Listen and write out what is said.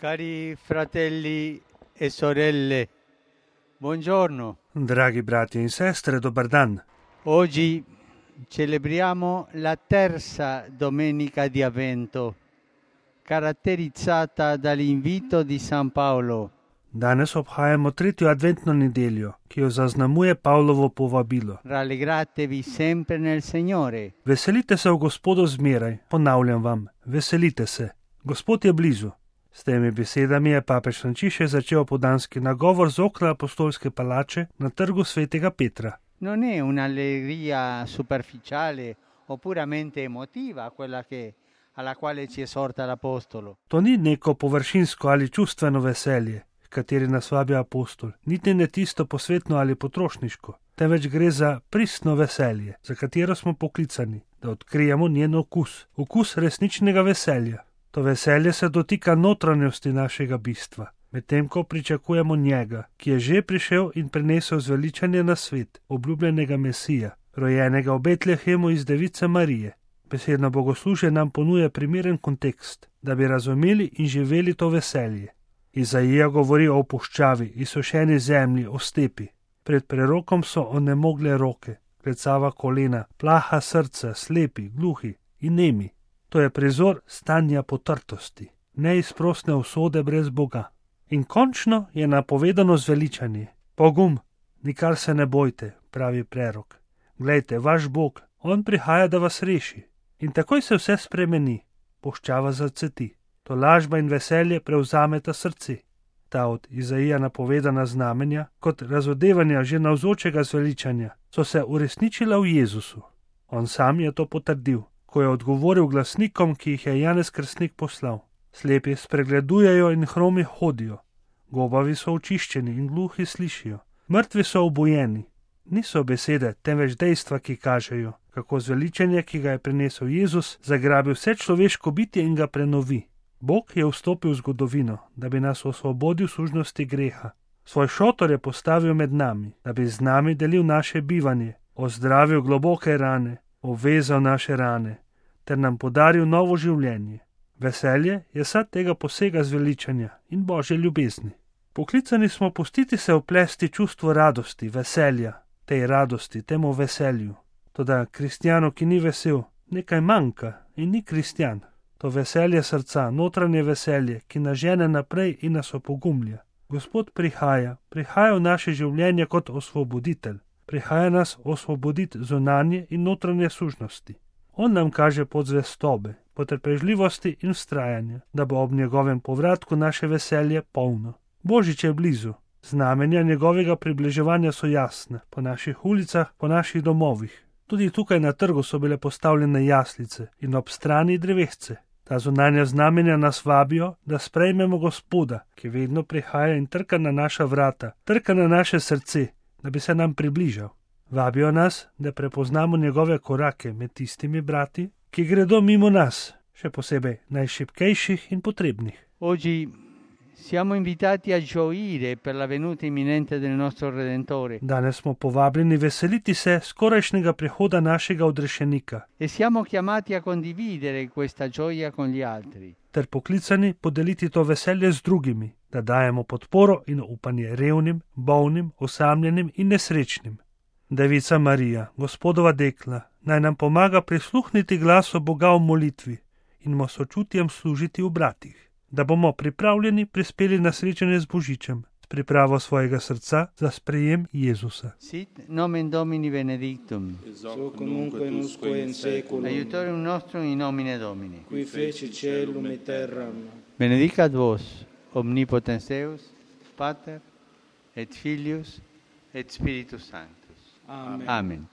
Cari fratelli e sorelle, buongiorno. Dragi brati in sestre, dobar dan. Oggi celebriamo la terza domenica di Avvento, caratterizzata dall'invito di San Paolo. Danes obhajamo tretjo adventno nedeljo, ki jo zaznamuje Pavlovo povabilo. Rallegratevi sempre nel Signore. Veselite se v Gospodu zmeraj, ponavljam vam, veselite se. Gospod je blizu. S temi besedami je papež Frančišek začel opoldanski nagovor z okna apostolske palače na trgu svetega Petra. Non è un'allegria superficiale o puramente emotiva quella alla quale ci esorta l'Apostolo. To ni neko površinsko ali čustveno veselje, kateri nas vabi apostol, niti ne tisto posvetno ali potrošniško, temveč gre za pristno veselje, za katero smo poklicani, da odkrijemo njen okus, okus resničnega veselja. To veselje se dotika notranjosti našega bistva, medtem ko pričakujemo njega, ki je že prišel in prinesel zveličanje na svet, obljubljenega Mesija, rojenega v Betlehemu iz device Marije. Besedno bogoslužje nam ponuja primeren kontekst, da bi razumeli in živeli to veselje. Izaija govori o puščavi, izsušeni zemlji, o stepi. Pred prerokom so onemogle roke, klecava kolena, plaha srca, slepi, gluhi in nemi. To je prizor stanja potrtosti, neizprosne usode brez Boga. In končno je napovedano zveličanje. Pogum, nikar se ne bojte, pravi prerok. Glejte, vaš Bog, on prihaja, da vas reši. In takoj se vse spremeni, puščava zacveti. To lažba in veselje prevzameta srce. Ta od Izaija napovedana znamenja, kot razodevanja že navzočega zveličanja, so se uresničila v Jezusu. On sam je to potrdil, ko je odgovoril glasnikom, ki jih je Janez Krstnik poslal. Slepi spregledujejo in hromi hodijo, gobavi so očiščeni in gluhi slišijo, mrtvi so obujeni. Niso besede, temveč dejstva, ki kažejo, kako zveličanje, ki ga je prinesel Jezus, zagrabi vse človeško bitje in ga prenovi. Bog je vstopil v zgodovino, da bi nas osvobodil sužnosti greha. Svoj šotor je postavil med nami, da bi z nami delil naše bivanje, ozdravil globoke rane, obvezal naše rane, ter nam podaril novo življenje. Veselje je sad tega posega zveličanja in Božje ljubezni. Poklicani smo pustiti se oplesti čustvo radosti, veselja, tej radosti, temu veselju. Toda kristjanu, ki ni vesel, nekaj manjka in ni kristjan. To veselje srca, notranje veselje, ki nas žene naprej in nas opogumlja. Gospod prihaja v naše življenje kot osvoboditelj. Prihaja nas osvoboditi zunanje in notranje sužnosti. On nam kaže pot zvestobe, potrpežljivosti in vztrajanja, da bo ob njegovem povratku naše veselje polno. Božič je blizu. Znamenja njegovega približevanja so jasne, po naših ulicah, po naših domovih. Tudi tukaj na trgu so bile postavljene jaslice in ob strani drevesce. Ta zunanja znamenja nas vabijo, da sprejmemo Gospoda, ki vedno prihaja in trka na naša vrata, trka na naše srce, da bi se nam približal. Vabijo nas, da prepoznamo njegove korake med tistimi brati, ki gredo mimo nas, še posebej najšibkejših in potrebnih. Oggi siamo invitati a gioire per la venuta imminente del nostro Redentore. Danes smo povabljeni veseliti se skorajšnjega prihoda našega odrešenika. E siamo chiamati a condividere questa gioia con gli altri. Ter poklicani podeliti to veselje z drugimi, da dajemo podporo in upanje revnim, bolnim, osamljenim in nesrečnim. Devica Marija, Gospodova dekla, naj nam pomaga prisluhniti glasu Boga v molitvi in mu sočutjem služiti v bratih, da bomo pripravljeni prispeli na srečanje z Božičem, s pripravo svojega srca za sprejem Jezusa. Sit nomen Domini benedictum, Soc nunque in usque in seculum, aiutorium nostrum in nomine Domini. qui feci celum et terram. Benedicat vos, omnipotens Deus, Pater, et Filius, et Spiritus Sanctus. Amen. Amen.